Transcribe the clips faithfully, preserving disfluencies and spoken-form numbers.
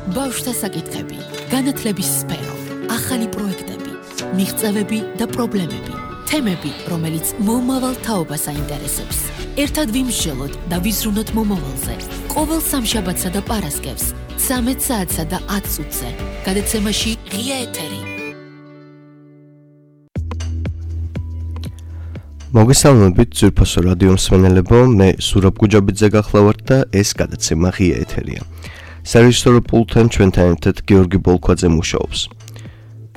ბავშვთა საკითხები, განათლების სფერო, ახალი პროექტები, მიღწევები და პრობლემები, თემები, რომელიც მომავალ თაობას აინტერესებს. ერთად ვიმსჯელოთ და ვიზრუნოთ მომავალზე. ყოველ სამშაბათსა და პარასკევს, ცამეტ საათსა და ათ წუთზე. გადაცემაში ღია ეთერი. მოგესალმებით ძვირფასო რადიო მსმენელებო, მე სურაბ გუჯაბიძე გახლავართ და ეს გადაცემა ღია ეთერია. სარეჟისორო პულტთან ჩვენთან ერთად გიორგი ბოლქვაძე მუშაობს.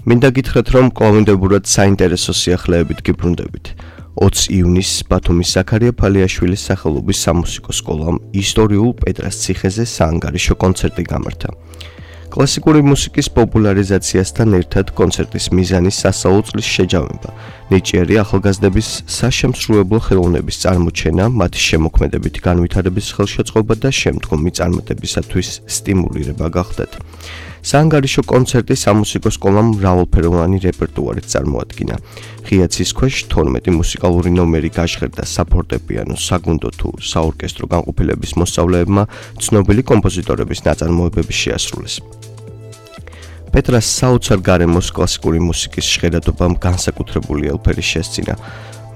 მინდა გითხრათ, რომ კვლავინდებურად საინტერესო სიახლეებით გიბრუნდებით. ოცი ივნისს ბათუმის ზაქარია ფალიაშვილის სახელობის სამუსიკო სკოლამ ისტორიულ პეტრას ციხეზე საანგარიშო კონცერტი გამართა. კლასიკური მუსიკის პოპულარიზაციასთან ერთად კონცერტის მიზანი სასწავლო წლის შეჯამება, ნიჭიერი ახალგაზრდების საშემსრულებლო ხელოვნების წარმოჩენა, მათი შემოქმედებითი განვითარების ხელშეწყობა და შემდგომი წარმატებისათვის სტიმულირება გახდათ. საანგარიშო კონცერტი სამუსიკო სკოლამ მრავალფეროვანი რეპერტუარით წარმოადგინა. ღია ცის ქვეშ თორმეტი მუსიკალური ნომერი გაჟღერდა საფორტეპიანო, საგუნდო თუ საორკესტრო განყოფილების მოსწავლეებმა ცნობილი კომპოზიტორების ნაწარმოებები შეასრულეს. პეტრას საოცარ გარემოს კლასიკური მუსიკის ჟღერადობამ განსაკუთრებული ელფერი შესძინა.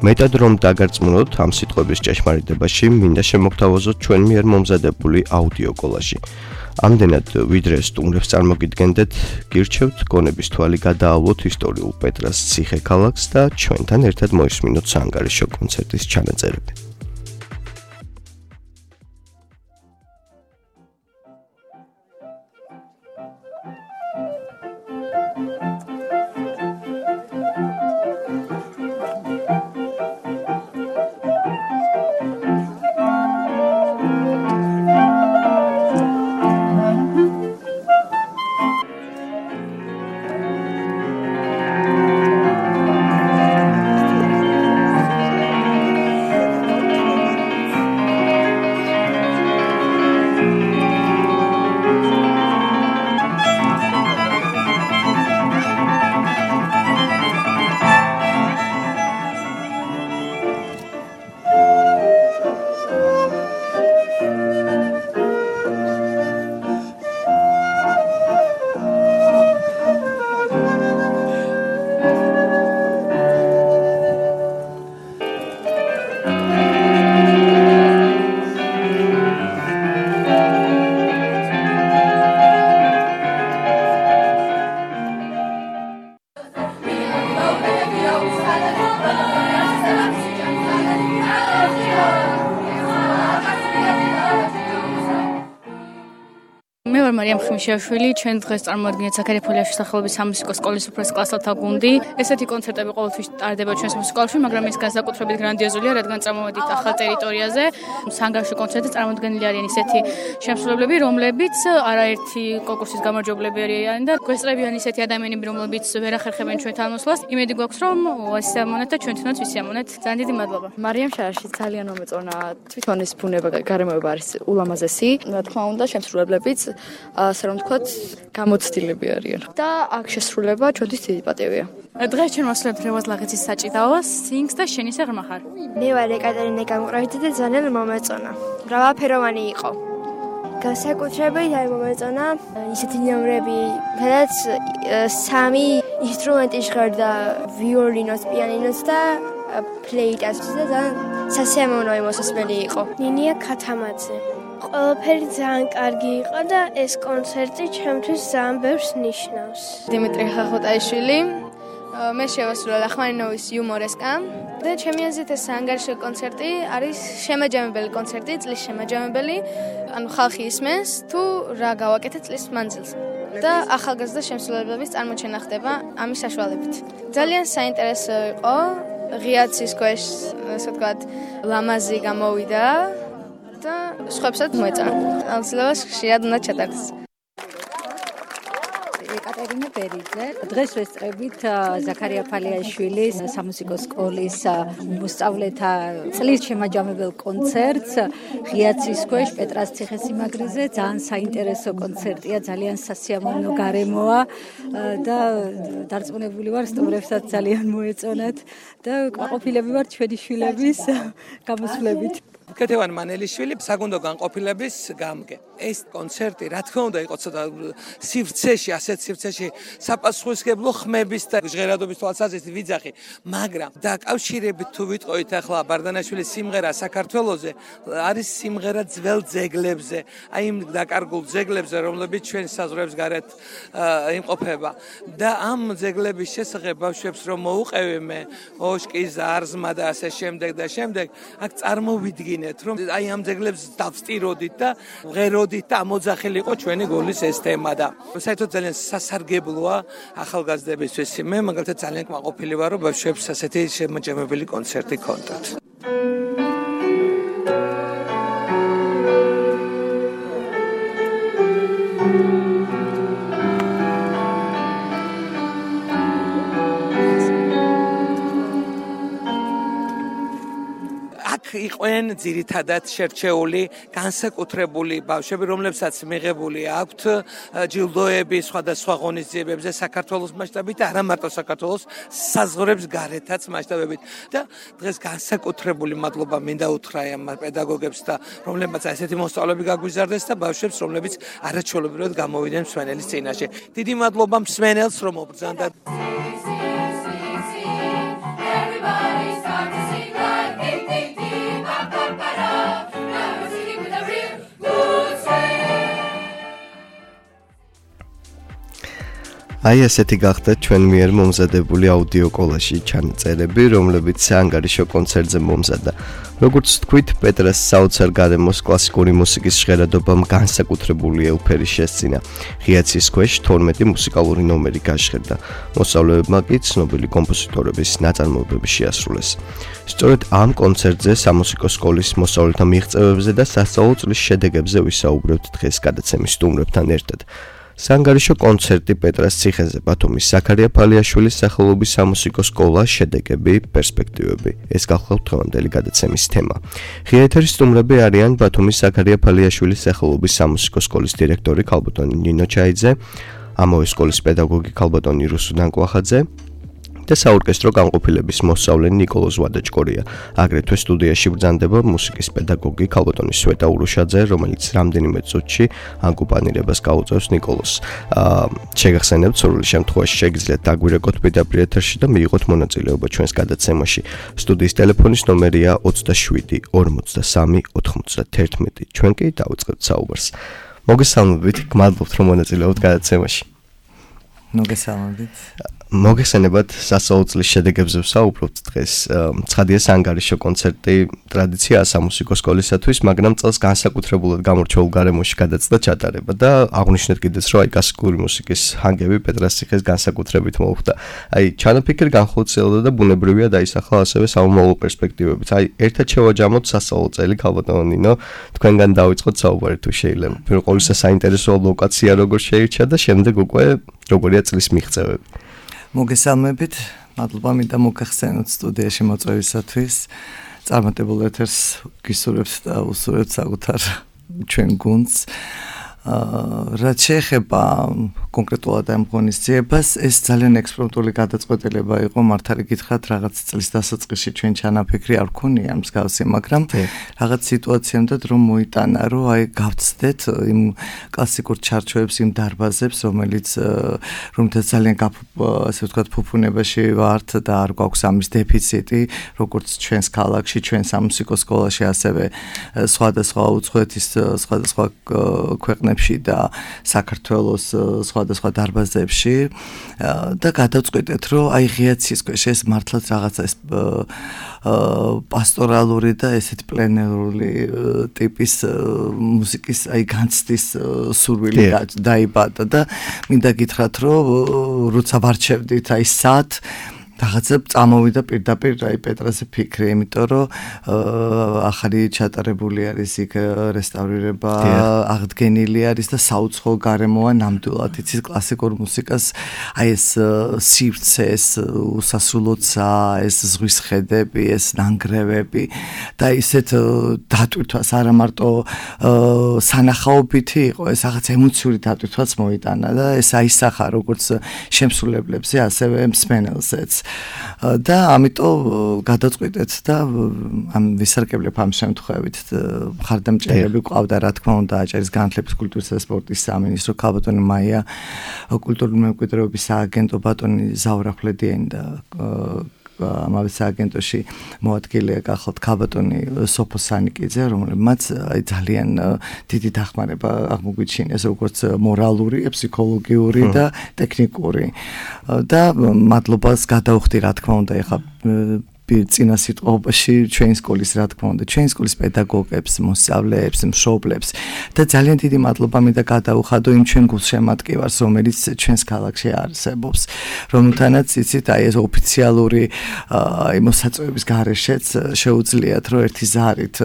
მეტად რომ დაგარწმუნოთ ამ სიტყვების ჭეშმარიტებაში, მინდა შემოგთავაზოთ ჩვენ მიერ მომზადებული აუდიო კოლაჟი. ამდენად ვიდრე სტუმრებს წარმოგიდგენდეთ, გირჩევთ გონების თვალი გადაავლოთ ისტორიულ პეტრას ციხე ქალაქს და ჩვენთან ერთად მოისმინოთ საანგარიშო კონცერტის ჩანაწერები. მარიამ ხმიშაშვილი, ჩვენ დღეს წარმოადგენთ ზაქარია ფალიაშვილის სახელობის სამუსიკო სკოლის უფროს კლასელთა გუნდი. ესეთი კონცერტები ყოველთვის ტარდება ჩვენს მუსიკალში, მაგრამ ის განსაკუთრებით გრანდიოზულია, რადგან წარმოვედით ახალ ტერიტორიაზე. საანგარიშო კონცერტზე წარმოდგენილი არიან ისეთი შემსრულებლები, რომლებიც არაერთი კონკურსის გამარჯვებლები არიან და გვესწრებიან ისეთი ადამიანები, რომლებიც ვერ ახერხებენ ჩვენთან მოსვლას. იმედი გვაქვს, რომ ვისიამოვნეთ და ჩვენთანაც ვისიამოვნეთ. ძალიან დიდი მადლობა. მარიამ შარაში ძალიან მომეწონა, თვითონ ეს ბუნება, გარემოება არის ულამაზესი. რა თქმა უნდა, შემსრულებლებიც ასე რომ ვთქვათ, გამოცდილები არიან. და აქ შესრულება ჩვენთვის დიდი პატივია. დღეს ჩვენ მოსვლებთ რევაზ ლაღიძის საჭიდაოს, სინგს და შენისა ღრმა ხარ. მე ვარ ეკატერინე გამყრავითი და ძალიან მომეწონა. მრავალფეროვანი იყო. განსაკუთრებით არ მომეწონა ისეთი ნომრები, სადაც სამი ინსტრუმენტი ჟღერდა, ვიოლინოს, პიანინოს და ფლეიტას და ძალიან სასიამოვნო მოსასმელი იყო. ნინია ქათამაძე. ყველაფერი ძალიან კარგი იყო და ეს კონცერტი ჩემთვის ძალიან ბევრს ნიშნავს. დიმიტრი ხახოტაიშვილი, მე შევასრულე ლახმანინოვის იუმორესკა და ჩემი აზრით ეს საანგარიშო კონცერტი არის შემაჯამებელი კონცერტი, წლის შემაჯამებელი, ანუ ხალხი ისმენს თუ რა გავაკეთეთ წლის მანძილზე. და ახალგაზრდა შემსრულებლების წარმოჩენა ხდება ამის საშუალებით. ძალიან საინტერესო იყო, ღია ცის ქვეშ, ასე ვთქვათ, ლამაზი გამოვიდა. და სხვებსაც მოეწონა. აუცილებლად ხშირად უნდა ჩატარდეს. ეკატერინე ბერიძე. დღეს ვესწრებით ზაქარია ფალიაშვილის სამუსიკო სკოლის მოსწავლეთა წლის შემაჯამებელ კონცერტს ღია ცის ქვეშ პეტრას ციხესიმაგრეზე. ძალიან საინტერესო კონცერტია, ძალიან სასიამოვნო გარემოა და დარწმუნებული ვარ, სტუმრებსაც ძალიან მოეწონათ და ყოფილები ვარ ჩვენი შვილების გამოსვლებით. ქეთევან მანელიშვილი საგუნდო განყოფილების გამგე. ეს კონცერტი რა თქმა უნდა იყო ცოტა სივრცეში, ასეთ სივრცეში საპასუხისმგებლო ხმების და ჟღერადობის თვალსაზრისით ვიძახი, მაგრამ დაკავშირებით თუ ვიტყოით ახლა ბარდანაშვილის სიმღერა საქართველოზე არის სიმღერა ძველ ძეგლებზე, აი იმ დაკარგულ ძეგლებზე, რომლებიც ჩვენ საზღვრებს გარეთ იმყოფება და ამ ძეგლების შესახებ ბავშვებს რომ მოუყევი მე ოშკი, ზარზმა და ასე შემდეგ და შემდეგ, აქ წარმოვიდგინეთ რომ აი ამ ძეგლებს დავსტიროდით და ვღეროდით და ამოძახილიყო ჩვენი გოლის ეს თემა და საერთოდ ძალიან სასარგებლოა ახალგაზრდებისთვის. მე მაგალითად ძალიან კმაყოფილი ვარ რომ ბავშვებს ასეთი შემაჯამებელი კონცერტი ქონდათ. იყვენ ძირითადად შერჩეული განსაკუთრებული ბავშვები, რომლებსაც მიღებული აქვთ ჯილდოები სხვადასხვა ღონისძიებებზე საქართველოს მასშტაბით და არა მარტო საქართველოს საზღვრებს გარეთაც მასშტაბებით და დღეს განსაკუთრებული მადლობა მინდა უთხრა ამ პედაგოგებს და რომლებსაც ასეთი მოსწავლეები გაგვიზარდეს და ბავშვებს რომლებიც არაჩვეულებრივად გამოვიდნენ მსმენელის წინაშე. დიდი მადლობა მსმენელს რომ ობრძანდა. აი ასეთი გახდა ჩვენ მიერ მომზადებული აუდიო კოლაჟი ჩანაწერები, რომლებიც საანგარიშო კონცერტზე მომზადდა. როგორც თქვით, პეტრას საოცარ გარემოს კლასიკური მუსიკის ჟღერადობამ განსაკუთრებული ელფერი შესწინა. ღიაცის ქვეშ თორმეტი მუსიკალური ნომერი გაჟღერდა. მოსწავლეებმა კი ცნობილი კომპოზიტორების ნაწარმოებები შეასრულეს. სწორედ ამ კონცერტზე სამუსიკო სკოლის მოსწავლეთა მიღწევებზე და სასწავლო წლის შედეგებზე ვისაუბრებთ დღეს გადაცემის სტუმრებთან ერთად. საანგარიშო კონცერტი პეტრას ციხეზე ბათუმის ზაქარია ფალიაშვილის სახელობის სამუსიკო სკოლა, შედეგები, პერსპექტივები. ეს გახლავთ დღევანდელი გადაცემის თემა. ღია ეთერის სტუმრები არიან ბათუმის ზაქარია ფალიაშვილის სახელობის სამუსიკო სკოლის დირექტორი ქალბატონი ნინო ჩაიძე, ამავე სკოლის პედაგოგი ქალბატონი რუსუ ნანკვახაძე და საორკესტრო განყოფილების მოსწავლე ნიკოლოზ ვადაჭკორია. აგრეთვე სტუდიაში ბრძანდება მუსიკის პედაგოგი ქალბატონი სვეტა ურუშაძე, რომელიც რამდენიმე წუთში აკომპანირებას გაუწევს ნიკოლოზს. შეგახსენებთ, სრული შემთხვევაში შეგიძლიათ დაგვირეკოთ პირდაპირ ეთერში და მიიღოთ მონაწილეობა ჩვენს გადაცემაში. სტუდიის ტელეფონის ნომერია ოცდაშვიდი ორმოცდასამი ოთხმოცდაათერთმეტი. ჩვენ კი დავიწყებთ საუბარს. მოგესალმებით, გმადლობთ რომ მონაწილეობთ გადაცემაში. მოგესალმებით. მოგესალმებით, სასწავლო წლის შედეგებზე ვსაუბრობთ დღეს. ცხადია საანგარიშო კონცერტი ტრადიციაა სამუსიკო სკოლისათვის, მაგრამ წელს განსაკუთრებულად გამორჩეულ გარემოში გადაცდა ჩატარება და აღნიშნეთ კიდეც, რომ აი კლასიკური მუსიკის ჰანგები პეტრას ციხეს განსაკუთრებით მოუხდა. აი ჩანაფიქრი განხორციელდა და ბუნებრივია დაისახლა ასევე სამომავლო პერსპექტივებით. აი ერთად შევაჯამოთ სასწავლო წელი ქალბატონო ნინო, თქვენგან დავიწყოთ საუბარი თუ შეიძლება. პირველ ყოვლისა საინტერესო ლოკაცია როგორ შეირჩა და შემდეგ უკვე როგორია წლის მიღწევები. მოგესალმებით, მადლობა მინდა მოგახსენოთ სტუდიაში მოწვევისათვის. წარმატებულ ეთერს გისურვებთ და უსურვებთ საკუთარ ჩვენ გუნდს. რაც შეეხება კონკრეტულად ამ ღონისძიებას, ეს ძალიან ექსპერიმენტული გადაწყვეტილება იყო, მართალი გითხრათ, რაღაც წლის დასაწყისში ჩვენ ჩანაფიქრი არ ვქონია მსგავსი, მაგრამ რაღაც სიტუაციამდე რომ მოიტანა, რომ აი გავცდეთ იმ კლასიკურ ჩარჩოებს, იმ დარბაზებს, რომელიც რომელთაც ძალიან ასე ვთქვათ, ფუფუნებაში ვართ და არ გვაქვს ამის დეფიციტი, როგორც ჩვენს ქალაქში, ჩვენ სამუსიკო სკოლაში, ასევე სხვადასხვა უცხოეთის სხვადასხვა ქვეყნებში და საქართველოს სხვადასხვა დარბაზებში და გადავწყვეტეთ, რომ აი ღიაცის ქვეშ ეს მართლაც რაღაცა ეს პასტორალური და ესეთ პლენერული ტიპის მუსიკის აი განცდის სურვილი დაიბადა და მინდა გითხრათ, რომ როცა ვარჩევდით აი სად რაღაცა წამოვიდა პირდაპირ აი პეტრაზე ფიქრი, იმიტომ რომ ახალი ჩატარებული არის იქ რესტავრირება, აღდგენილი არის და საუცხოო გარემოა ნამდვილად. იცით კლასიკურ მუსიკას აი ეს სივრცე, ეს უსასრულოცა, ეს ზღვის ხედები, ეს ნანგრევები და ისეთ დატვირთვას არა მარტო სანახაობითი იყო, ეს რაღაც ემოციური დატვირთვაც მოიტანა და ეს აისახა როგორც შემსრულებლებზე, ასევე მსმენელზეც. და ამიტომ გადაწყვიტეთ და ამ ვისარგებლებ ამ შემთხვევით მხარდამჭერები ყავდა რა თქმა უნდა აჭარის განათლების კულტურისა და სპორტის სამინისტრო ქალბატონი მაია კულტურული მემკვიდრეობის სააგენტო ბატონი ზაურა ხვლედიანი და ამავე სააგენტოში მოადგილეა გახლავთ ქალბატონი სოფო სანიკიძე, რომელმაც აი ძალიან დიდი დახმარება აღმოგვიჩინეს როგორც მორალური, ფსიქოლოგიური და ტექნიკური. და მადლობას გადავხდი რა თქმა უნდა ეხა წინა სიტყვაში ჩვენი სკოლის რა თქმა უნდა ჩვენი სკოლის პედაგოგებს, მოსწავლეებს, მშობლებს და ძალიან დიდი მადლობა მინდა გადაუხადო იმ ჩვენ გულშემატკივარს, რომელიც ჩვენს ქალაქში არსებობს, რომელთანაც იცით აი ეს ოფიციალური აი მოსაწვევების გარეშეც შეუძლიათ რომ ერთი ზარით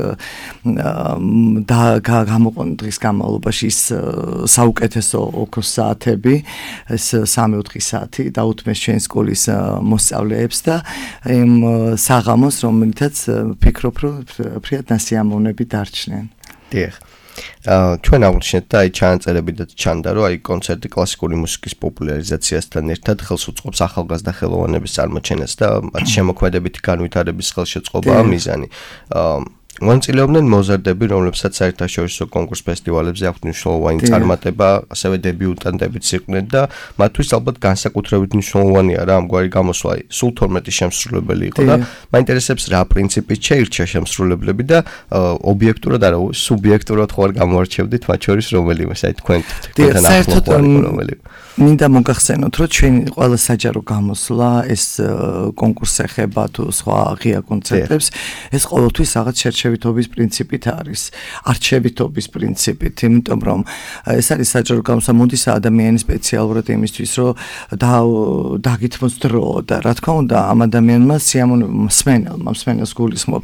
და გამოყონ დღის განმავლობაში ის საუკეთესო ოქროს საათები, ეს სამი-ოთხი საათი დაუთმეს ჩვენი სკოლის მოსწავლეებს და იმ საღამოს, რომელთაც ფიქრობ, რომ ფრიად ნასიამოვნები დარჩნენ. დიახ. აა ჩვენ აღვნიშნეთ და აი ჩანაწერები და ჩანდა, რომ აი კონცერტი კლასიკური მუსიკის პოპულარიზაციასთან ერთად ხელს უწყობს ახალგაზრდა ხელოვანების წარმოჩენას და მათ შემოქმედებითი განვითარების ხელშეწყობაა მიზანი. აა მონაწილეობდნენ მოზარდები, რომლებსაც საერთაშორისო კონკურს ფესტივალებზე აქვთ მნიშვნელოვანი წარმატება, ასევე დებიუტანტებიც იყვნენ და მათთვის ალბათ განსაკუთრებით მნიშვნელოვანია რა ამგვარი გამოსვლა. სულ თორმეტი შემსრულებელი იყო და მაინტერესებს რა პრინციპით შეირჩა შემსრულებლები და ობიექტურად არა, სუბიექტურად ხო არ გამოარჩევდით მათ შორის რომელიმე, აი თქვენ თქვენთან ახლოვანი რომელიმე. მინდა მოგახსენოთ, რომ ჩვენი ყველა საჯარო გამოსვლა, ეს კონკურსს ეხება თუ სხვა ღია კონცერტებს, ეს ყოველთვის რაღაც შერჩევითობის პრინციპით არის, არჩევითობის პრინციპით, იმიტომ რომ ეს არის საჯარო გამოსვლა, მოდის ადამიანი სპეციალურად იმისთვის, რომ დაგითმოს დრო და რა თქმა უნდა, ამ ადამიანმა სიამოვნება, მსმენელმა, მსმენელს გულისხმობ,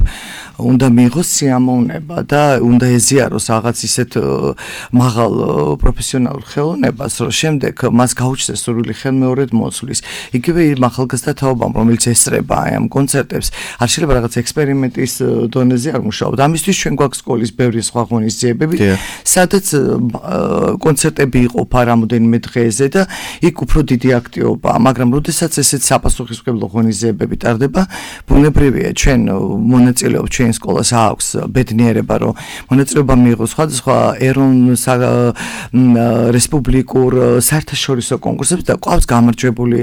უნდა მიიღოს სიამოვნება და უნდა ეზიაროს რაღაც ისეთ მაღალ პროფესიონალურ ხელოვნებას, რომ შემდეგ მას გაუჩნდეს სრული ხელმეორედ მოსვლის. იგივე იმ ახალგაზრდა თაობამ, რომელიც ესწრება აი ამ კონცერტებს, არ შეიძლება რაღაც ექსპერიმენტის დონეზე არ მუშაობ. ამისთვის ჩვენ გვაქვს სკოლის ბევრი სხვა ღონისძიებები, სადაც კონცერტები იყოფა რამოდენიმე დღეზე და იქ უფრო დიდი აქტივობაა, მაგრამ როდესაც ესეთ საპასუხისმგებლო ღონისძიებები ტარდება, ბუნებრივია ჩვენ მონაწილეობთ ჩვენ სკოლას აქვს ბედნიერება, რომ მონაწილეობა მიიღოს სხვადასხვა ეროვნულ რესპუბლიკურ საერთაშორისო კონკურსებს და ყავს გამარჯვებული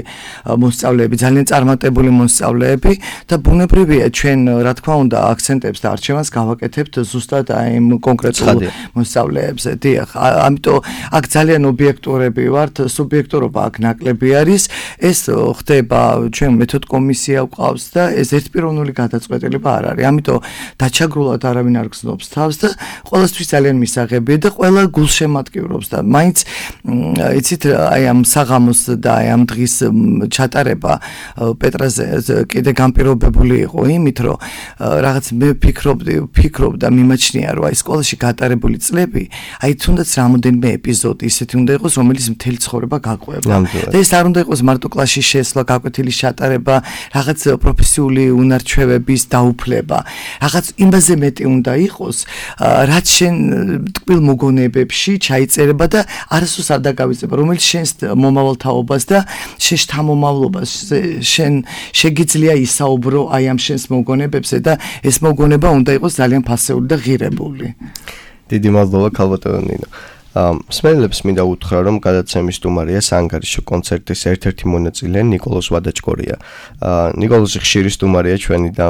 მოსწავლეები, ძალიან წარმატებული მოსწავლეები და ბუნებრივია ჩვენ რა თქმა უნდა აქცენტებს და არჩევანს გავაკეთებთ ზუსტად აი იმ კონკრეტულ მოსწავლეებზე. დიახ, ამიტომ აქ ძალიან ობიექტურები ვართ, სუბიექტურობა აქ ნაკლები არის. ეს ხდება ჩვენ მეთოდ კომისია გვყავს და ეს ერთპიროვნული გადაწყვეტილება არ არის. ამიტომ დაჩაგრულად არავინ არ გზნობს თავს და ყოველთვის ძალიან მისაღებია და ყველა გულშემატკივრობს და მაინც იცით აი ამ საღამოს და აი ამ დღის ჩატარება პეტრაზე კიდე განპირობებული იყო იმით, რომ რაღაც მე ფიქრობდი, ფიქრობ და მიმაჩნია, რომ აი სკოლაში გატარებული წლები, აი თუნდაც რამოდენიმე ეპიზოდი ისეთი უნდა იყოს, რომელიც მთელი ცხოვრება გაყვება. და ეს არ უნდა იყოს მარტო კლასში შესვლა, გაკვეთილის ჩატარება, რაღაც პროფესიული უნარჩვევების დაუფლება. რაღაც იმაზე მეტი უნდა იყოს, რაც შენ ტკბილ მოგონებებში ჩაიწერება და არასდროს არ დაგავიწყება, რომელიც შენს მომავალ თაობას და შენ შთამომავლობას შენ შეგიძლია ისაუბრო აი ამ შენს მოგონებებზე და ეს მოგონება უნდა იყოს ძალიან ფასეული და ღირებული. დიდი მადლობა ქალბატონო ნინო. მსმენელებს მინდა უთხრა, რომ გადაცემის სტუმარია საანგარიშო კონცერტის ერთ-ერთი მონაწილე ნიკოლოზ ვადაჭკორია. ნიკოლოზი ხშირი სტუმარია ჩვენი და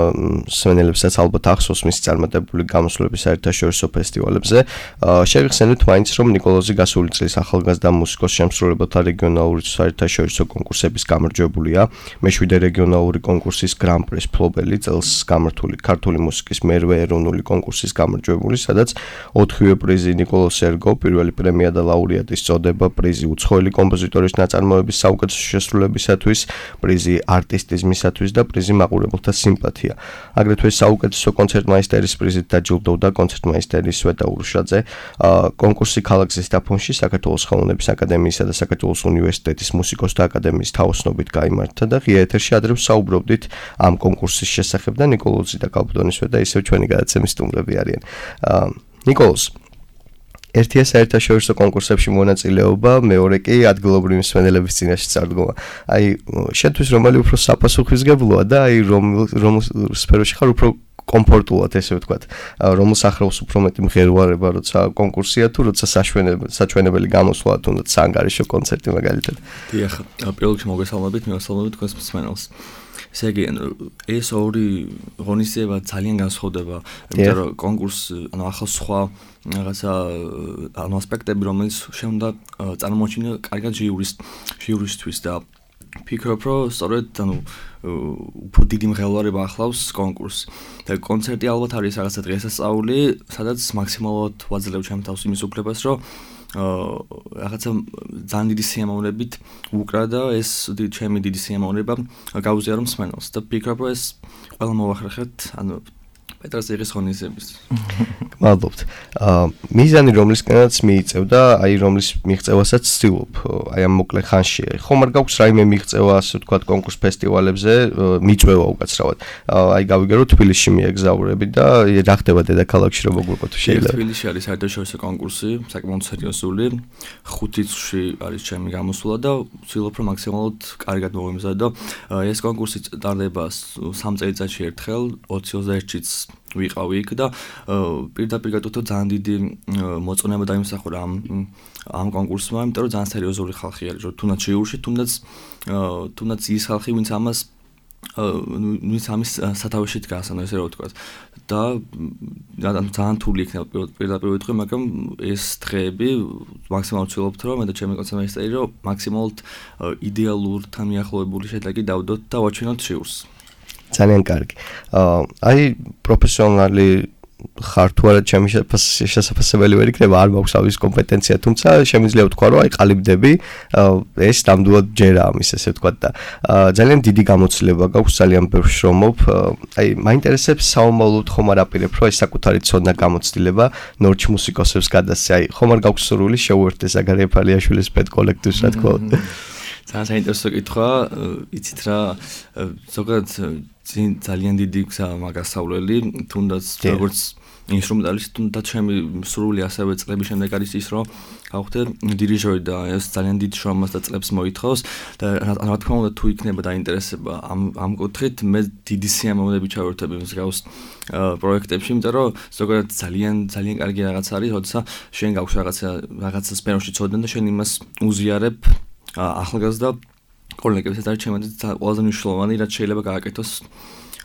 მსმენელებსაც ალბათ ახსოვს მისი წარმატებული გამოსვლები საერთაშორისო ფესტივალებზე. შევიხსენოთ მაინც, რომ ნიკოლოზი გასული წლის ახალგაზრდა მუსიკოს შემსრულებელთა რეგიონალური საერთაშორისო კონკურსების გამარჯვებულია. მეშვიდე რეგიონალური კონკურსის გრან-პრის მფლობელი, წელს გამართული ქართული მუსიკის მერვე ეროვნული კონკურსის გამარჯვებული, სადაც ოთხივე პრიზი ნიკოლოზ ერგო, პირველი პრემია და ლაურეატის წოდება, პრიზი უცხოელი კომპოზიტორის ნაწარმოების საუკეთესო შესრულებისათვის, პრიზი არტისტიზმისათვის და პრიზი მაყურებელთა სიმპათია. აგრეთვე საუკეთესო კონცერტმაისტერის პრიზით დაჯილდოვდა კონცერტმაისტერი სვეტა ურუშაძე. კონკურსი ქალაქ ზესტაფონში საქართველოს ხელოვნების აკადემიისა და საქართველოს უნივერსიტეტის მუსიკოსთა აკადემიის თაოსნობით გაიმართა და ღია ეთერში ადრე ვსაუბრობდით ამ კონკურსის შესახებ და ნიკოლოზი და ქალბატონი სვეტა ისევ ჩვენი გადაცემის სტუმრები არიან. ნიკოლოზ, ერთია საერთაშორისო კონკურსებში მონაწილეობა, მეორე კი ადგილობრივი მსმენელების წინაშე წარდგომა. აი, შენთვის რომელი უფრო საპასუხისმგებლოა და აი რომ რომ სფეროში ხარ უფრო კომფორტულად ესე ვთქვათ, რომ სახელოს უფრო მეტი მღერვარება, როცა კონკურსია თუ როცა საჩვენებელი გამოსვლა თუნდაც სანგარიშო კონცერტი მაგალითად. დიახ, პირველ რიგში მოგესალმებით, მივესალმებით თქვენს მსმენელს. ესე იგი, ეს ორი ღონისძიება ძალიან განსხვავდება, იმიტომ რომ კონკურსი, ანუ ახალ სხვა რაღაცა ანუ ასპექტები, რომელიც შეუნდა წარმოჩინა კარგად ჟიურის ჟიურისთვის და ფიქრობ, რომ სწორედ ანუ უფრო დიდი მღელვარება ახლავს კონკურსს. და კონცერტი ალბათ არის რაღაცა დღესასწაული, სადაც მაქსიმალურად ვაძლევ ჩემ თავს იმის უფლებას, რომ რაღაცა ძალიან დიდი სიამოვნებით უკრა და ეს ჩემი დიდი სიამოვნება გავუზიარო მსმენელს და ფიქრობ, რომ ეს ყველა მოვახერხეთ, ანუ პეტრას იღის ღონისძიების. მადლობთ. აა მიზანი რომლისკენაც მიიწევ და აი რომლის მიღწევასაც ვცდილობ, აი ამ მოკლე ხანში. ხომ არ გაქვს რაიმე მიღწევა, ასე ვთქვათ, კონკურს ფესტივალებზე, მიწვევა უკაცრავად. აი გავიგე რომ თბილისში მიეგზაურები და რა ხდება დედაქალაქში რომ მოგვიყო თუ შეიძლება. თბილისში არის საერთაშორისო კონკურსი, საკმაოდ სერიოზული. ხუთი წუთში არის ჩემი გამოსვლა და ვცდილობ რომ მაქსიმალურად კარგად მოვიმზადო. ეს კონკურსი ტარდება სამ წელიწადში ერთხელ, ოცი ოცდაერთშიც ვიყავი იქ და პირდაპირ გეტყვით რომ ძალიან დიდი მოწონება დაიმსახურა ამ ამ კონკურსმა, იმიტომ რომ ძალიან სერიოზული ხალხი არის, რომ თუნდაც ჟიურში, თუნდაც თუნდაც ის ხალხი, ვინც ამას ვინც ამის სათავეში დგას, ანუ ესე რა ვთქვათ. და ძალიან თული იქნება პირდაპირ ვიტყვი, მაგრამ ეს დღეები მაქსიმალურად ვცდილობთ, რომ მე და ჩემი კონცერტმეისტერი რომ მაქსიმალურად იდეალურთან მიახლოებული შედეგი დავდოთ და ვაჩვენოთ ჟიურს. ძალიან კარგი. აი პროფესიონალი ხარ თუ არა ჩემი შესაძლებელი ვერ იქნება, არ მაქვს ამის კომპეტენცია, თუმცა შემიძლია ვთქვა, რომ აი ყალიბდები, ეს ნამდვილად ჯერა ამის, ესე ვთქვათ და ძალიან დიდი გამოცდილება გაქვს, ძალიან ბევრ შრომობ. აი მაინტერესებს საომავლოდ ხომ არ აპირებ, რომ ეს საკუთარი ცოდნა გამოცდილება ნორჩ მუსიკოსებს გადასცე. აი ხომ არ გაქვს სურვილი შეუერთდეს ზაქარია ფალიაშვილის პედ კოლექტივს, რა თქმა უნდა. ძალიან საინტერესო კითხვა, იცით რა, ზოგადად ძალიან დიდი გზა მაგასავლელი, თუნდაც როგორც ინსტრუმენტალისტი, თუნდაც ჩემი სრული ასევე წლების შემდეგ არის ის, რომ გავხდე დირიჟორი და ეს ძალიან დიდ შრომას და წლებს მოითხოვს და რა თქმა უნდა თუ იქნება დაინტერესება ამ ამ კუთხით, მე დიდი სიამოვნებით ჩავერთები მსგავს პროექტებში, იმიტომ რომ ზოგადად ძალიან ძალიან კარგი რაღაც არის, როცა შენ გაქვს რაღაცა რაღაცა სფეროში ცოდნა და შენ იმას უზიარებ ახალგაზრდა კოლეგებს, ეს არის ჩემთვის ყველაზე მნიშვნელოვანი, რაც შეიძლება გააკეთოს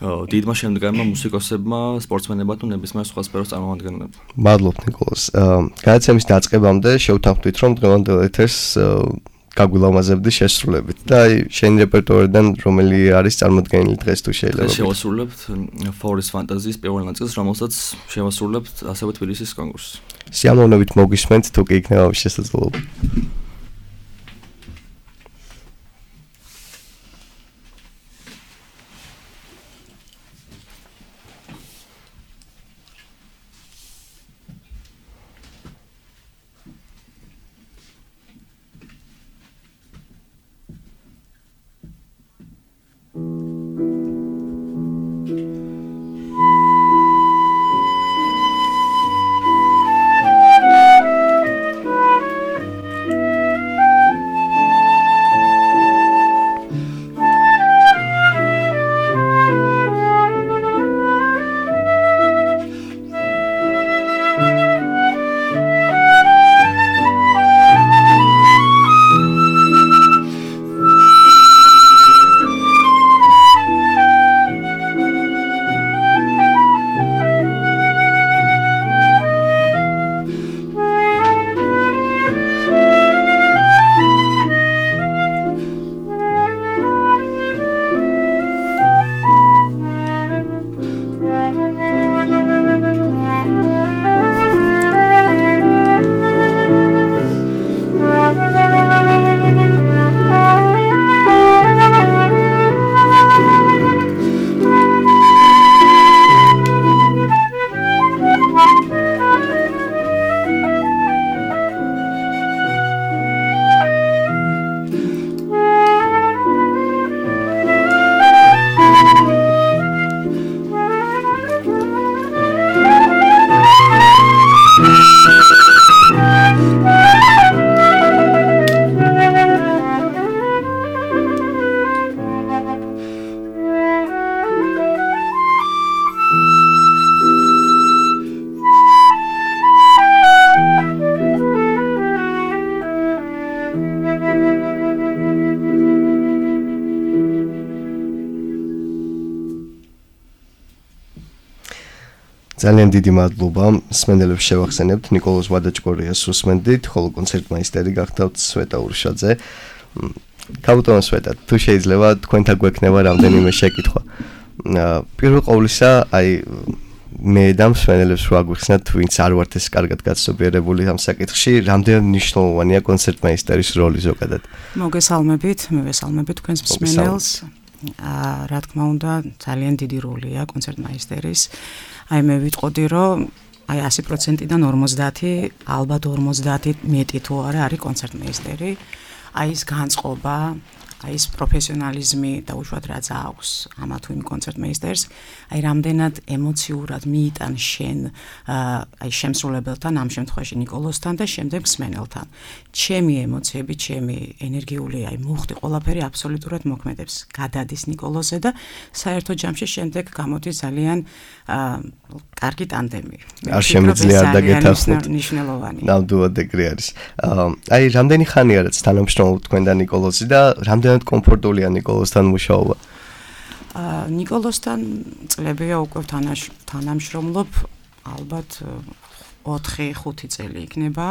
დიდმა შემდგარმა მუსიკოსებმა, სპორტსმენებმა თუ ნებისმიერ სხვა სფეროს წარმომადგენლებმა. მადლობთ ნიკოლას. გადაცემის დაწყებამდე შევთანხმდით, რომ დღევანდელ ეთერს გაგვილამაზებდი შესრულებით და აი შენი რეპერტუარიდან რომელი არის წარმოდგენილი დღეს თუ შეიძლება. შევასრულებთ Forest Fantasy-ის პირველ ნაწილს, რომელსაც შევასრულებთ ასევე თბილისის კონკურსს. სიამოვნებით მოგისმენთ, თუ კი იქნება შესაძლებლობა. ძალიან დიდი მადლობა. მსმენელებს შევახსენებთ ნიკოლოზ ვადაჭკორიას უსმენდით, ხოლო კონცერტმაისტერი გახდათ სვეტა ურშაძე. კაპიტონ სვეტა, თუ შეიძლება თქვენთან გვექნება რამდენიმე შეკითხვა. პირველ ყოვლისა, აი მე და მსმენელებს რო აგვიხსნათ, ვინც არ ვართ ეს კარგად გაცნობიერებული ამ საკითხში, რამდენად მნიშვნელოვანია კონცერტმაისტერის როლი ზოგადად. მოგესალმებით, მე ვესალმებით თქვენს მსმენელს. რა თქმა უნდა, ძალიან დიდი როლია კონცერტმაისტერის. აი მე ვიტყოდი, რომ აი ასი პროცენტიდან ორმოცდაათი, ალბათ ორმოცდაათი მეტი თუ არა არის კონცერტმეისტერი. აი ეს განწყობა, აი ეს პროფესიონალიზმი და უშუალოდ რაც აქვს ამა თუ იმ კონცერტმეისტერს, აი რამდენად ემოციურად მიიტან შენ აი შემსრულებელთან, ამ შემთხვევაში ნიკოლოზთან და შემდეგ მსმენელთან. ჩემი ემოციები, ჩემი ენერგიული აი მუხტი ყველაფერი აბსოლუტურად მოქმედებს. გადადის ნიკოლოზზე და საერთო ჯამში შემდეგ გამოდის ძალიან კარგი ტანდემი. არ შემიძლია არ დაგეთანხმოთ. ნიშნულოვანი. ნამდვილად ეგრე არის. აი რამდენი ხანია რაც თანამშრომლობთ თქვენ და ნიკოლოზი და რამდენად კომფორტულია ნიკოლოზთან მუშაობა? აა ნიკოლოზთან წლებია უკვე თანამშრომლობ, ალბათ ოთხი ხუთი წელი იქნება.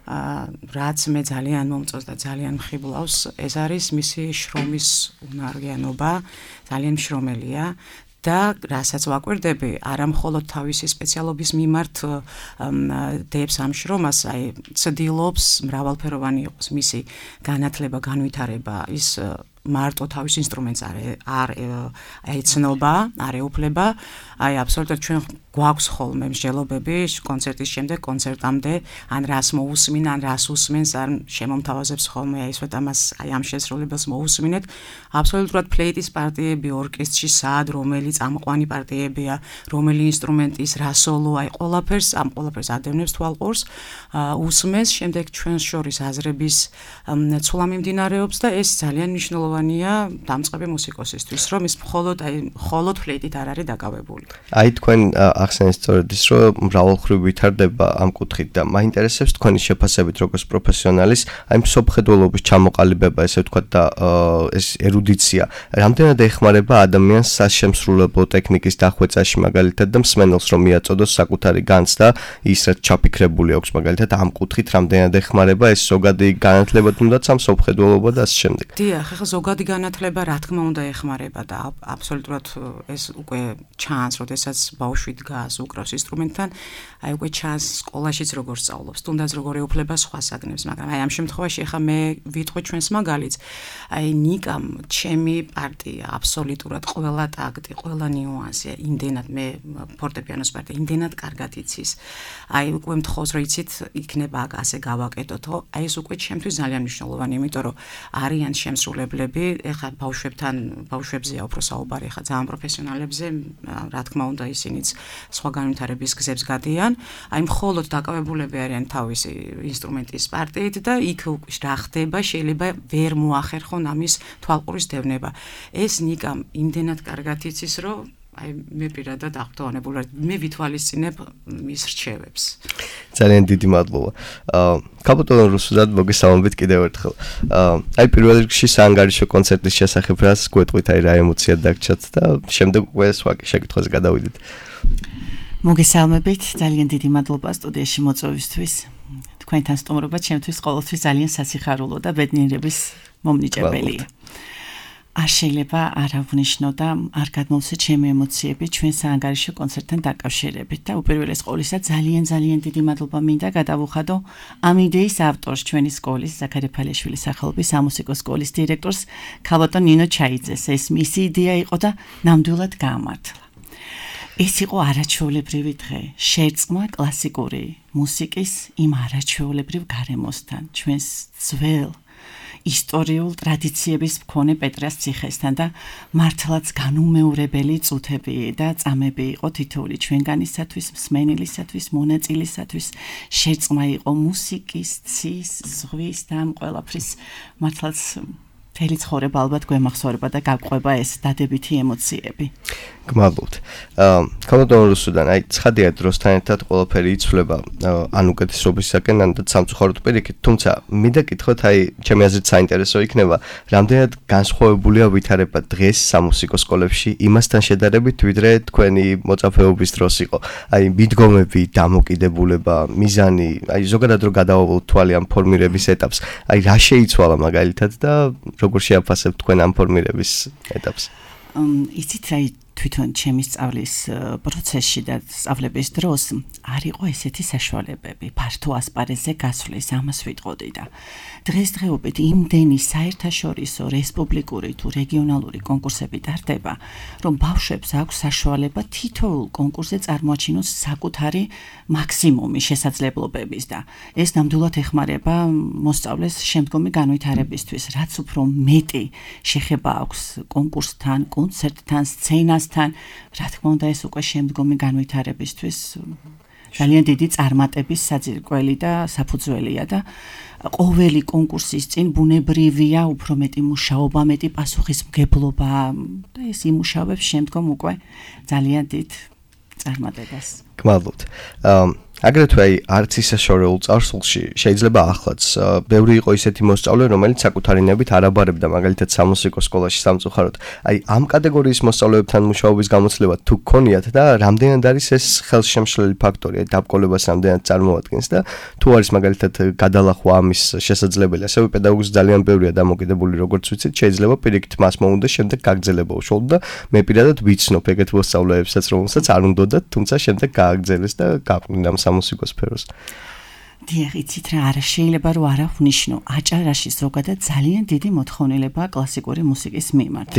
აა რაც მე ძალიან მომწონს და ძალიან მხიბლავს, ეს არის მისი შრომის უნარიანობა, ძალიან მშრომელია. და რასაც ვაკვირდები, არა მხოლოდ თავისი სპეციალობის მიმართ დებს ამ შრომას, აი ცდილობს მრავალფეროვანი იყოს მისი განათლება, განვითარება, ის მარტო თავის ინსტრუმენტს არ არ ეცნობა, არ ეუფლება, აი აბსოლუტურად ჩვენ გვაქვს ხოლმე მსჯელობები კონცერტის შემდეგ კონცერტამდე, ან რას მოусმინ, ან რას უსმენს, ან შემომთავაზებს ხოლმე აი ესვეთ ამას, აი ამ შესრულებელს მოусმინეთ. აბსოლუტურად ფლეიტის პარტიები ორკესტრში სად, რომელი წამყვანი პარტიებია, რომელი ინსტრუმენტის, რა სოლო, აი ყველაფერს, ამ ყველაფერს ადევნებს თვალყურს, უსმენს, შემდეგ ჩვენს შორის აზრების ცვლა მიმდინარეობს და ეს ძალიან მნიშვნელოვანია დამწყები მუსიკოსისთვის, რომ ის მხოლოდ აი მხოლოდ ფლეიტით არ არის დაკავებული. აი თქვენ ახსენეთ სწორედ ის, რომ მრავალმხრივ ვითარდება ამ კუთხით და მაინტერესებს თქვენი შეფასებით როგორც პროფესიონალის, აი მსოფლმხედველობის ჩამოყალიბება, ესე ვთქვათ და ეს ერუდიცია, რამდენად ეხმარება ადამიანს სასშემსრულებლო ტექნიკის დახვეწაში მაგალითად და მსმენელს რომ მიაწოდოს საკუთარი განცდა, ის რაც ჩაფიქრებული აქვს მაგალითად ამ კუთხით რამდენად ეხმარება ეს ზოგადი განათლება თუნდაც ამ მსოფლმხედველობა და ასე შემდეგ. დიახ, ახლა ზოგადი განათლება რა თქმა უნდა ეხმარება და აბსოლუტურად ეს უკვე ჩანს, როდესაც ბავშვი დგას, უკრავს ინსტრუმენტთან, აი უკვე ჩანს სკოლაშიც როგორ სწავლობს, თუნდაც როგორ ეუფლება სხვა საგნებს, მაგრამ აი ამ შემთხვევაში ახლა მე ვიტყვი ჩვენს მაგალითს, აი ნიკამ ჩემი პარტია აბსოლუტურად ყველა ტაქტი, ყველა ნიუანსი, იმდენად მე ფორტეპიანოს პარტია იმდენად კარგად იცის. აი უკვე მთხოვს რომ იცით, იქნება ასე გავაკეთოთო, აი ეს უკვე ჩემთვის ძალიან მნიშვნელოვანია, იმიტომ რომ არიან შემსრულებლები, ეხლა ბავშვებთან, ბავშვებზეა უფრო საუბარი, ეხლა ძალიან პროფესიონალებზე, რა თქმა უნდა, ისინიც სხვა განვითარების გზებს გადიან. აი მხოლოდ დაკავებულები არიან თავისი ინსტრუმენტის პარტიით და იქ რა ხდება, შეიძლება ვერ მოახერხონ ამის თვალყურის დევნება. ეს ნიკამ იმდენად კარგად იცის, რომ აი მე პირადად აღფრთოვანებული ვარ, მე ვითვალისწინებ მის რჩევებს. ძალიან დიდი მადლობა. აა კაპიტონ რუსუდად მოგესალმებით კიდევ ერთხელ. აა აი პირველ რიგში საანგარიშო კონცერტის შესახებ რას გვეტყვით, აი რა ემოცია დაგჭათ და შემდეგ უკვე სხვა შეკითხვაზე გადავიდეთ. მოგესალმებით, ძალიან დიდი მადლობა სტუდიაში მოწვევისთვის. თქვენთან სტუმრობა ჩემთვის ყოველთვის ძალიან სასიხარულო და ბედნიერების მომნიჭებელია. არ შეიძლება არ ავნიშნო და არ გადმოვცე ჩემი ემოციები ჩვენ საანგარიშო კონცერტთან დაკავშირებით და უპირველეს ყოვლისა ძალიან ძალიან დიდი მადლობა მინდა გადავუხადო ამ იდეის ავტორს ჩვენი სკოლის ზაქარი ფალეშვილის სახელობის სამუსიკო სკოლის დირექტორს ქალბატონ ნინო ჩაიძეს. ეს მისი იდეა იყო და ნამდვილად გაამართლა. ეს იყო არაჩვეულებრივი დღე, შერწყმა კლასიკური მუსიკის იმ არაჩვეულებრივ გარემოსთან, ჩვენს ძველ ისტორიულ ტრადიციების მქონე პეტრას ციხესთან და მართლაც განუმეორებელი წუთები და წამები იყო თითოეული ჩვენგანისათვის, მსმენელისათვის, მონაწილისათვის. შერწყმა იყო მუსიკის, ცის, ზღვის და ამ ყველაფრის მართლაც მთელი ცხოვრება ალბათ გვემახსოვრება და გაგვყვება ეს დადებითი ემოციები. გმადლობთ. აა კამოდორ რუსუდან, აი ცხადია დროსთან ერთად ყველაფერი იცვლება ან უკეთესობისაკენ, ან სამწუხაროდ პირიქით, თუმცა მინდა კითხოთ, აი ჩემი აზრით საინტერესო იქნება, რამდენად განსხვავებულია ვითარება დღეს სამუსიკო სკოლებში იმასთან შედარებით, ვიდრე თქვენი მოწაფეობის დროს იყო. აი მიდგომები, დამოკიდებულება, მიზანი, აი ზოგადად რო გადავავალოთ თვალი ამ ფორმირების ეტაპს, აი რა შეიცვალა მაგალითად და როგორ შეაფასებთ თქვენ ამ ფორმირების ეტაპს? იცით რა თვითონ ჩემი სწავლის პროცესში და სწავლების დროს არ იყო ესეთი საშუალებები ფართო ასპარეზზე გასვლის, ამას ვიტყოდი და დღესდღეობით იმდენი საერთაშორისო რესპუბლიკური თუ რეგიონალური კონკურსები ტარდება, რომ ბავშვებს აქვს საშუალება თითოეულ კონკურსზე წარმოაჩინოს საკუთარი მაქსიმუმი შესაძლებლობების და ეს ნამდვილად ეხმარება მოსწავლეს შემდგომი განვითარებისთვის, რაც უფრო მეტი შეხება აქვს კონკურსთან, კონცერტთან, სცენასთან, რა თქმა უნდა ეს უკვე შემდგომი განვითარებისთვის ძალიან დიდი წარმატების საძირკველი და საფუძველია და ყოველი კონკურსის წინ ბუნებრივია უფრო მეტი მუშაობა, მეტი პასუხისმგებლობა და ეს იმუშავებს შემდგომ უკვე ძალიან დიდ წარმატებას. გმადლობთ. აგრეთვე აი არც ისე შორეულ წარსულში შეიძლება ახლაც ბევრი იყო ისეთი მოსწავლე, რომელიც საკუთარი ნებით არ აბარებდა მაგალითად სამუსიკო სკოლაში სამწუხაროდ. აი ამ კატეგორიის მოსწავლეებთან მუშაობის გამოცდილება თუ გქონიათ და რამდენად არის ეს ხელშემშლელი ფაქტორი, დაბრკოლებას რამდენად წარმოადგენს და თუ არის მაგალითად გადალახვა ამის შესაძლებელი, ასევე პედაგოგს ძალიან ბევრია დამოკიდებული, როგორც ვიცით, შეიძლება პირიქით მას მოუნდა შემდეგ გაგრძელება უშუალოდ და მე პირადად ვიცნობ ეგეთ მოსწავლეებსაც, რომელსაც არ უნდათ, თუმცა შემდეგ გააგრძელეს და გაყვნენ სამუსიკო სფეროს. დიახ, იცით რა, არა შეიძლება რომ არ აღნიშნო, აჭარაში ზოგადად ძალიან დიდი მოთხოვნილებაა კლასიკური მუსიკის მიმართ.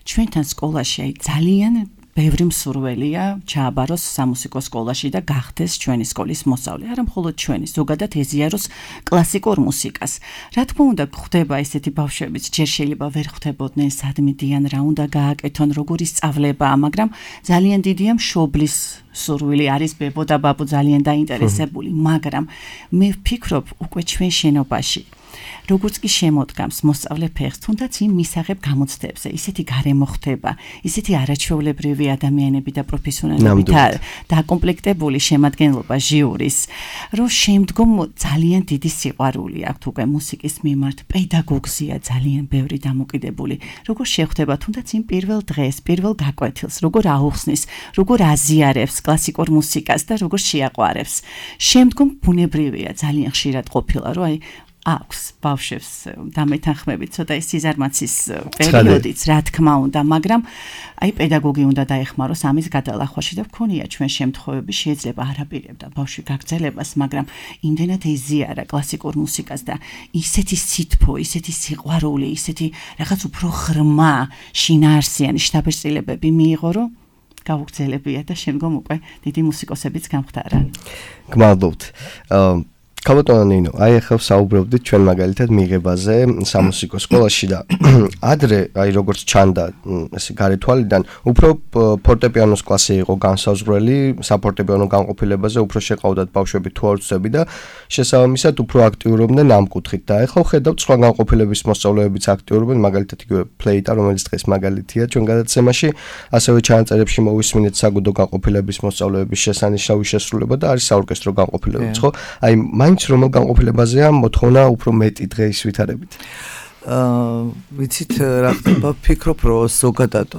ჩვენთან სკოლაში აი ძალიან ბევრი მსურველია ჩააბაროს სამუსიკო სკოლაში და გახდეს ჩვენი სკოლის მოსწავლე. არა მხოლოდ ჩვენი, ზოგადად ეზიაროს კლასიკურ მუსიკას. რა თქმა უნდა, ხდება ესეთი ბავშვებიც, ჯერ შეიძლება ვერ ხვდებოდნენ სად მიდიან, რა უნდა გააკეთონ, როგორი სწავლებაა, მაგრამ ძალიან დიდია მშობლის სურვილი, არის ბებო და ბაბუ ძალიან დაინტერესებული, მაგრამ მე ვფიქრობ უკვე ჩვენ შენობაში როგორც კი შემოდგამს მოსწავლე ფეხს, თუნდაც იმ მისაღებ გამოცდებზე, ისეთი გარემო ხდება, ისეთი არაჩვეულებრივი ადამიანები და პროფესიონალები დაკომპლექტებული შემადგენლობა ჟიურის, რომ შემდგომ ძალიან დიდი სიყვარული აქვს უკვე მუსიკის მიმართ, პედაგოგზია ძალიან ბევრი დამოკიდებული, როგორ შეხვდება თუნდაც იმ პირველ დღეს, პირველ გაკვეთილს, როგორ აუხსნის, როგორ აზიარებს კლასიკურ მუსიკას და როგორ შეაყვარებს. შემდგომ ბუნებრივია ძალიან ხშირად ყოფილა, რომ აი აქვს ბავშვებს დამეთანხმებით ცოტა ის სიზარმაცის პერიოდიც, რა თქმა უნდა, მაგრამ აი პედაგოგი უნდა დაეხმაროს ამის გადალახვაში და ვქონია ჩვენ შემთხვევები, შეიძლება არაპირებდა ბავშვი გაგრძელებას, მაგრამ იმდენად ეზიარა კლასიკურ მუსიკას და ისეთი სითბო, ისეთი სიყვარული, ისეთი რაღაც უფრო ღრმა, შინაარსიანი შთაბეჭდილებები მიიღო, რომ გაუგრძელებია და შემდგომ უკვე დიდი მუსიკოსებიც გამხდარა. გმადლობთ. კაბოტონა ნინო, აი ახლა საუბრობდით ჩვენ მაგალითად მიღებაზე სამუსიკო სკოლაში და ადრე, აი როგორც ჩანდა ესე გარეთვალიდან, უფრო ფორტეპიანოს კლასი იყო განსაზღვრელი, საფორტეპიანო განყოფილებაზე უფრო შეყავდათ ბავშვები თუ არცები და შესაბამისად უფრო აქტიურობდნენ ამ კუთხით და ახლა ხედავთ სხვა განყოფილების მოსწავლეებიც აქტიურობენ, მაგალითად იგივე ფლეიტა, რომელიც დღეს მაგალითია ჩვენ გადაცემაში, ასევე ჩანაწერებში მოვისმინეთ საგუდო განყოფილების მოსწავლეების შესანიშნავი შესრულება და არის საორკესტრო განყოფილებიც, ხო? აი მაინც რომელ განყოფილებაზეა მოთხოვნა უფრო მეტი დღეს ვითარებით? აა ვიცით რა ხდება, ვფიქრობ, რომ ზოგადად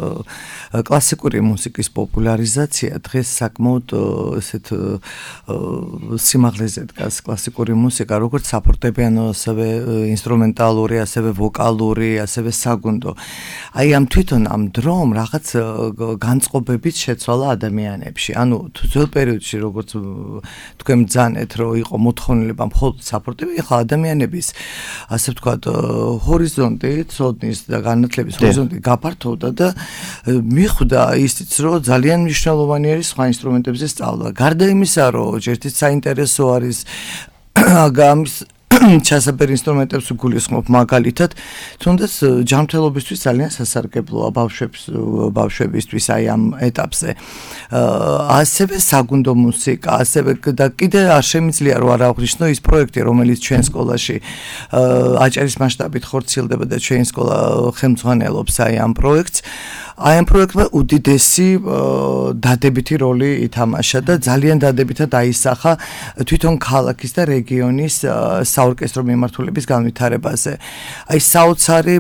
კლასიკური მუსიკის პოპულარიზაცია დღეს საკმაოდ ესეთ სიმაღლეზე დგას კლასიკური მუსიკა, როგორც საფორტეპიანო, ასევე ინსტრუმენტალური, ასევე ვოკალური, ასევე საგუნდო. აი ამ თვითონ ამ დრომ რაღაც განწყობებით შეცვალა ადამიანებში. ანუ ძველ პერიოდში როგორც თქვენ ბრძანეთ, რომ იყო მოთხოვნილება მხოლოდ საფორტეპიანო, ახლა ადამიანების ასე ვთქვათ ჰორიზონტი, ცოდნის და განათლების ჰორიზონტი გაფართოვდა და მიხვდა ისიც, რომ ძალიან მნიშვნელოვანი არის სხვა ინსტრუმენტებზე სწავლა. გარდა იმისა, რომ ერთით საინტერესო არის ამის ჩასაბერ ინსტრუმენტებს გულისხმობ მაგალითად, თუნდაც ჯანმრთელობისთვის ძალიან სასარგებლოა ბავშვებს ბავშვებისთვის აი ამ ეტაპზე. ასევე საგუნდო მუსიკა, ასევე და კიდე არ შემიძლია რომ არ აღვნიშნო ის პროექტი, რომელიც ჩვენ სკოლაში აჭარის მასშტაბით ხორციელდება და ჩვენი სკოლა ხელმძღვანელობს აი ამ პროექტს. აი ამ პროექტმა უდიდესი დადებითი როლი ითამაშა და ძალიან დადებითად აისახა თვითონ ქალაქის და რეგიონის საორკესტრო მიმართულების განვითარებაზე. აი საოცარი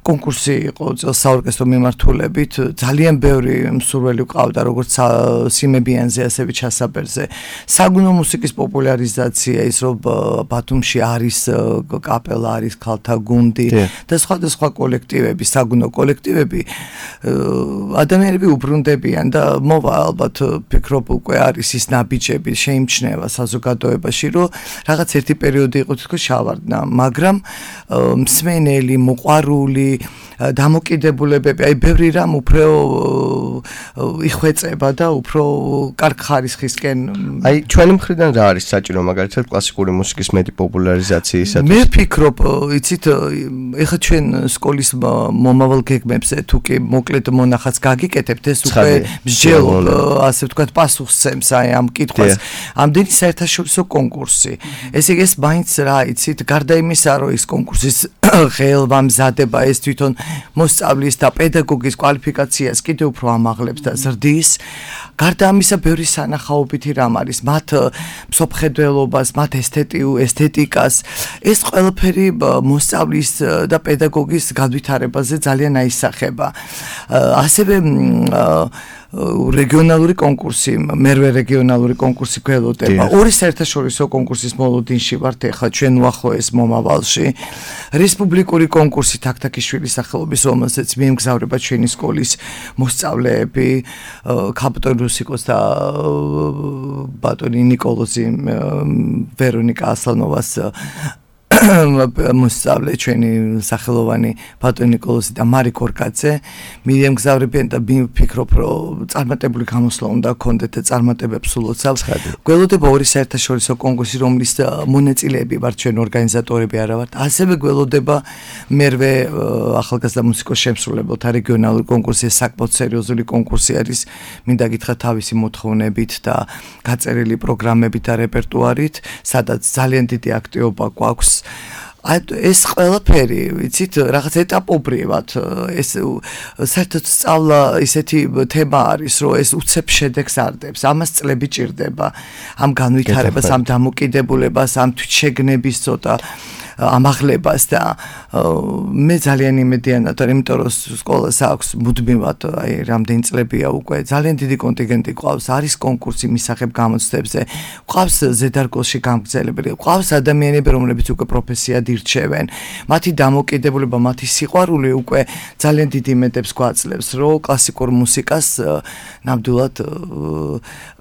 კონკურსი იყო საორკესტრო მიმართულებით, ძალიან ბევრი მსურველი ყავდა როგორც სიმებიანზე, ასევე ჩასაბერზე. საგუნდო მუსიკის პოპულარიზაცია, ის რომ ბათუმში არის კაპელა, არის ქალთა გუნდი და სხვა და სხვა კოლექტივები, საგუნდო კოლექტივები ადამიანები უბრუნდებიან და მოვა ალბათ ფიქრობ უკვე არის ის ნაბიჯები შეიმჩნევა საზოგადოებაში, რომ რაღაც ერთი პერიოდი იყო თქოს შავარდნა, მაგრამ მსმენელი, მოყვარული, დამოკიდებულებები, აი ბევრი რამ უფრო იხვეწება და უფრო კარგ ხარისხისკენ. აი ჩვენი მხრიდან რა არის საჭირო მაგალითად კლასიკური მუსიკის მეტი პოპულარიზაციისათვის? მე ვფიქრობ, იცით, ეხლა ჩვენ სკოლის მომავალ გეგმებზე თუ კი მოკლედ მონახაც გაგიკეთებთ, ეს უკვე მსჯელობ, ასე ვთქვათ, პასუხსცემს აი ამ კითხვას. ამდენი საერთაშორისო კონკურსი. ესე იგი ეს მაინც რა იცით, გარდა იმისა, რომ ის კონკურსის ხელმამზადება ეს თვითონ მოსწავლის და პედაგოგის კვალიფიკაციას კიდევ უფრო ამაღლებს და ზრდის. გარდა ამისა, ბევრი სანახაობითი რამ არის, მათ მსოფლმხედველობას, მათ ესთეტიკას, ეს ყველაფერი მოსწავლის და პედაგოგის განვითარებაზე ძალიან აისახება. ასევე რეგიონალური კონკურსი, მერვე რეგიონალური კონკურსი გველოდება. ორი საერთაშორისო კონკურსის მოლოდინში ვართ ახლა ჩვენ უახლოეს მომავალში. რესპუბლიკური კონკურსი თაქთაქიშვილის სახელობის, რომელზეც მიემგზავრება ჩვენი სკოლის მოსწავლეები, ქალბატონ რუსიკოს და ბატონი ნიკოლოზი ვერონიკა ასლანოვას მოსწავლე ჩვენი სახელოვანი ბატონი ნიკოლოზი და მარი კორკაძე მიემგზავრებიან და ვფიქრობ, რომ წარმატებული გამოსვლა უნდა გქონდეთ და წარმატებებს ულოცავს. გველოდება ორი საერთაშორისო კონკურსი, რომლის მონაწილეები ვართ ჩვენ ორგანიზატორები არა ვართ. ასევე გველოდება მერვე ახალგაზრდა მუსიკოს შემსრულებელთა რეგიონალური კონკურსი, საკმაოდ სერიოზული კონკურსი არის, მინდა გითხრათ თავისი მოთხოვნებით და გაწერილი პროგრამებით და რეპერტუარით, სადაც ძალიან დიდი აქტივობა გვაქვს. ეს ყველაფერი, ვიცით, რაღაც ეტაპობრივად, ეს საერთოდ სწავლა ისეთი თემა არის, რომ ეს უცებ შედეგს არდებს, ამას წლები ჭირდება, ამ განვითარებას, ამ დამოკიდებულებას, ამ თვითშეგნების ცოტა ამაღლებას და მე ძალიან იმედიანად ვარ, იმიტომ რომ სკოლას აქვს მუდმივად, აი რამდენი წლებია უკვე ძალიან დიდი კონტინგენტი ყავს, არის კონკურსი მისაღებ გამოცდებზე, ყავს ზედარგოლში გამგზელებელი, ყავს ადამიანები, რომლებიც უკვე პროფესიად ირჩევენ, მათი დამოკიდებულება, მათი სიყვარული უკვე ძალიან დიდი იმედებს გვაძლევს, რომ კლასიკურ მუსიკას ნამდვილად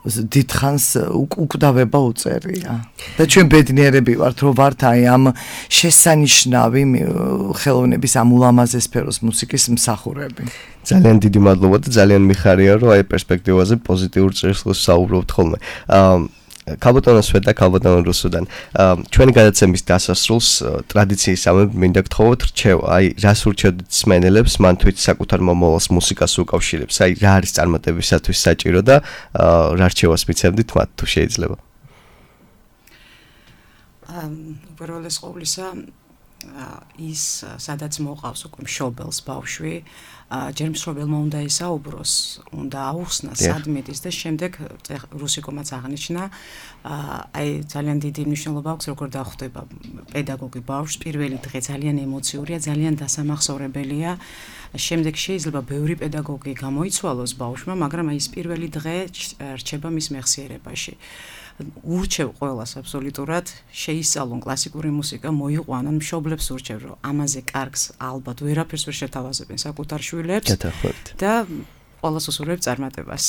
დიდხანს უკვდავება უწერია. და ჩვენ ბედნიერები ვართ, რომ ვართ აი ამ შესანიშნავი ხელოვნების ამ ულამაზეს სფეროს მუსიკის მსახურები. ძალიან დიდი მადლობა და ძალიან მიხარია, რომ აი პერსპექტივაზე პოზიტიურ წესრიგს საუბრობთ ხოლმე. ქალბატონო სვეტა, ქალბატონო რუსუდან, ჩვენი გადაცემის დასასრულს ტრადიციისამებრ მინდა გთხოვოთ რჩევა, აი რას ურჩევთ მსმენელებს, მან თვით საკუთარ მომავალს მუსიკას უკავშირებს, აი რა არის წარმატებისათვის საჭირო და რა რჩევას მიცემდით მათ თუ შეიძლება? უპირველეს ყოვლისა ის სადაც მოყავს უკვე მშობელს ბავშვი, ჯერ მშობელმა უნდა ისაუბროს, უნდა აუხსნას სადმედის და შემდეგ რუსიკომაც აღნიშნა, აი ძალიან დიდი მნიშვნელობა აქვს როგორ დახვდება პედაგოგი ბავშვს, პირველი დღე ძალიან ემოციურია, ძალიან დასამახსოვრებელია, შემდეგ შეიძლება ბევრი პედაგოგი გამოიცვალოს ბავშვმა, მაგრამ აი ეს პირველი დღე რჩება მის მეხსიერებაში. ურჩევ ყველას აბსოლუტურად შეისწავლონ კლასიკური მუსიკა, მოიყვანონ, მშობლებს ურჩევ, რომ ამაზე კარგს ალბათ ვერაფერს ვერ შეთავაზებენ საკუთარ შვილებს და ყველას უსურვებ წარმატებას.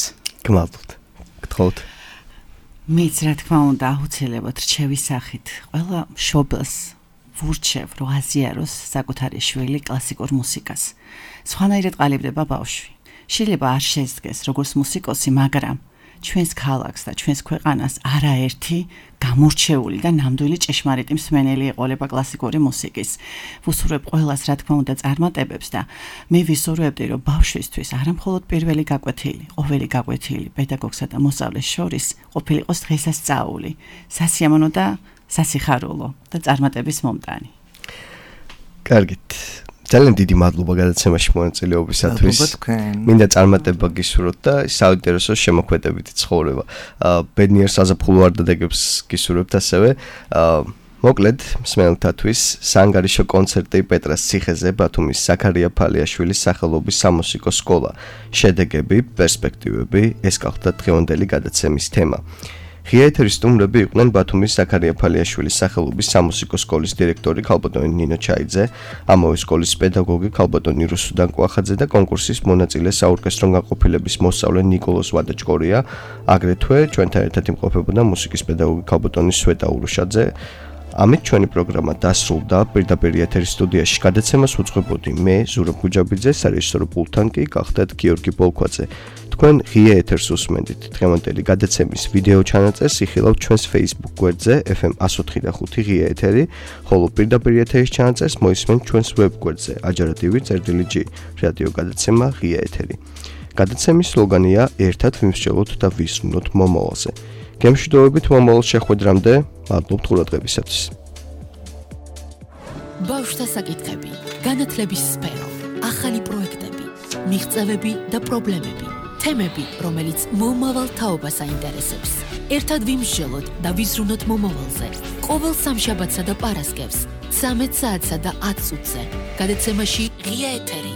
გმადლობთ. გთხოვთ. მეც რა თქმა უნდა აუცილებლად რჩევის სახით ყველა მშობელს ვურჩევ, რომ აზიაროს საკუთარი შვილი კლასიკურ მუსიკას. სხვანაირად ყალიბდება ბავშვი. შეიძლება არ შეძგეს როგორც მუსიკოსი, მაგრამ ჩვენს ქალაქს და ჩვენს ქვეყანას არაერთი გამორჩეული და ნამდვილი ჭეშმარიტი მსმენელი ეყოლება კლასიკური მუსიკის. ვუსურვებ ყველას, რა თქმა უნდა, წარმატებებს და მე ვისურვებდი, რომ ბავშვისთვის არა მხოლოდ პირველი გაკვეთილი, ყოველი გაკვეთილი პედაგოგსა და მოსწავლეს შორის ყოფილიყოს დღესასწაული, სასიამოვნო და სასიხარულო და წარმატების მომტანი. კარგით. ძალიან დიდი მადლობა გადაცემაში მონაწილეობისათვის. მინდა წარმატება გისურვოთ და საინტერესო შემოქმედებითი ცხოვრება. ბედნიერ საზაფხულო არდადეგებს გისურვებთ ასევე. მოკლედ, მსმენელთათვის საანგარიშო კონცერტი პეტრას ციხეზე ბათუმის ზაქარია ფალიაშვილის სახელობის სამუსიკო სკოლა. შედეგები, პერსპექტივები, ეს გახლდათ დღევანდელი გადაცემის თემა. ღია ეთერის სტუმრები იყვნენ ბათუმის ზაქარია ფალიაშვილის სახელობის სამუსიკო სკოლის დირექტორი ქალბატონი ნინო ჩაიძე, ამავე სკოლის პედაგოგი ქალბატონი რუსუდან კვახაძე და კონკურსის მონაწილე საორკესტრო განყოფილების მოსწავლე ნიკოლოზ ვადაჭკორია, აგრეთვე ჩვენთან ერთად იმყოფებოდა მუსიკის პედაგოგი ქალბატონი სვეტა ურუშაძე. ამით ჩვენი პროგრამა დასრულდა. პირდაპირ ეთერის სტუდიაში გადაცემას უძღვებოდი მე, ზურაბ გუჯაბიძე, სარეჟისორო პულტთან კი გახლდათ გიორგი ბოლქვაძე. თქვენ ღია ეთერს უსმენთ. დღევანდელი გადაცემის ვიდეო ჩანაწერს იხილავთ ჩვენს Facebook გვერდზე ეფ ემ one oh five point five ღია ეთერი, ხოლო პირდაპირ ეთერის ჩანაწერს მოისმენთ ჩვენს ვებ გვერდზე აჯარადივი წერტილი ჯი რადიო გადაცემა ღია ეთერი. გადაცემის სლოგანია ერთად ვიმსჯელოთ და ვისმნოთ მომავალზე. გემშვიდობებით მომავალ შეხვედრამდე, მადლობთ ყურადღებისათვის. ბავშვთა საკითხები, განათლების სფერო, ახალი პროექტები, მიღწევები და პრობლემები, თემები, რომელიც მომავალ თაობას აინტერესებს. ერთად ვიმსჯელოთ და ვიზრუნოთ მომავალზე. ყოველ სამშაბათსა და პარასკევს, ცამეტ საათსა და ათ წუთზე. გადაცემაში ღია ეთერი.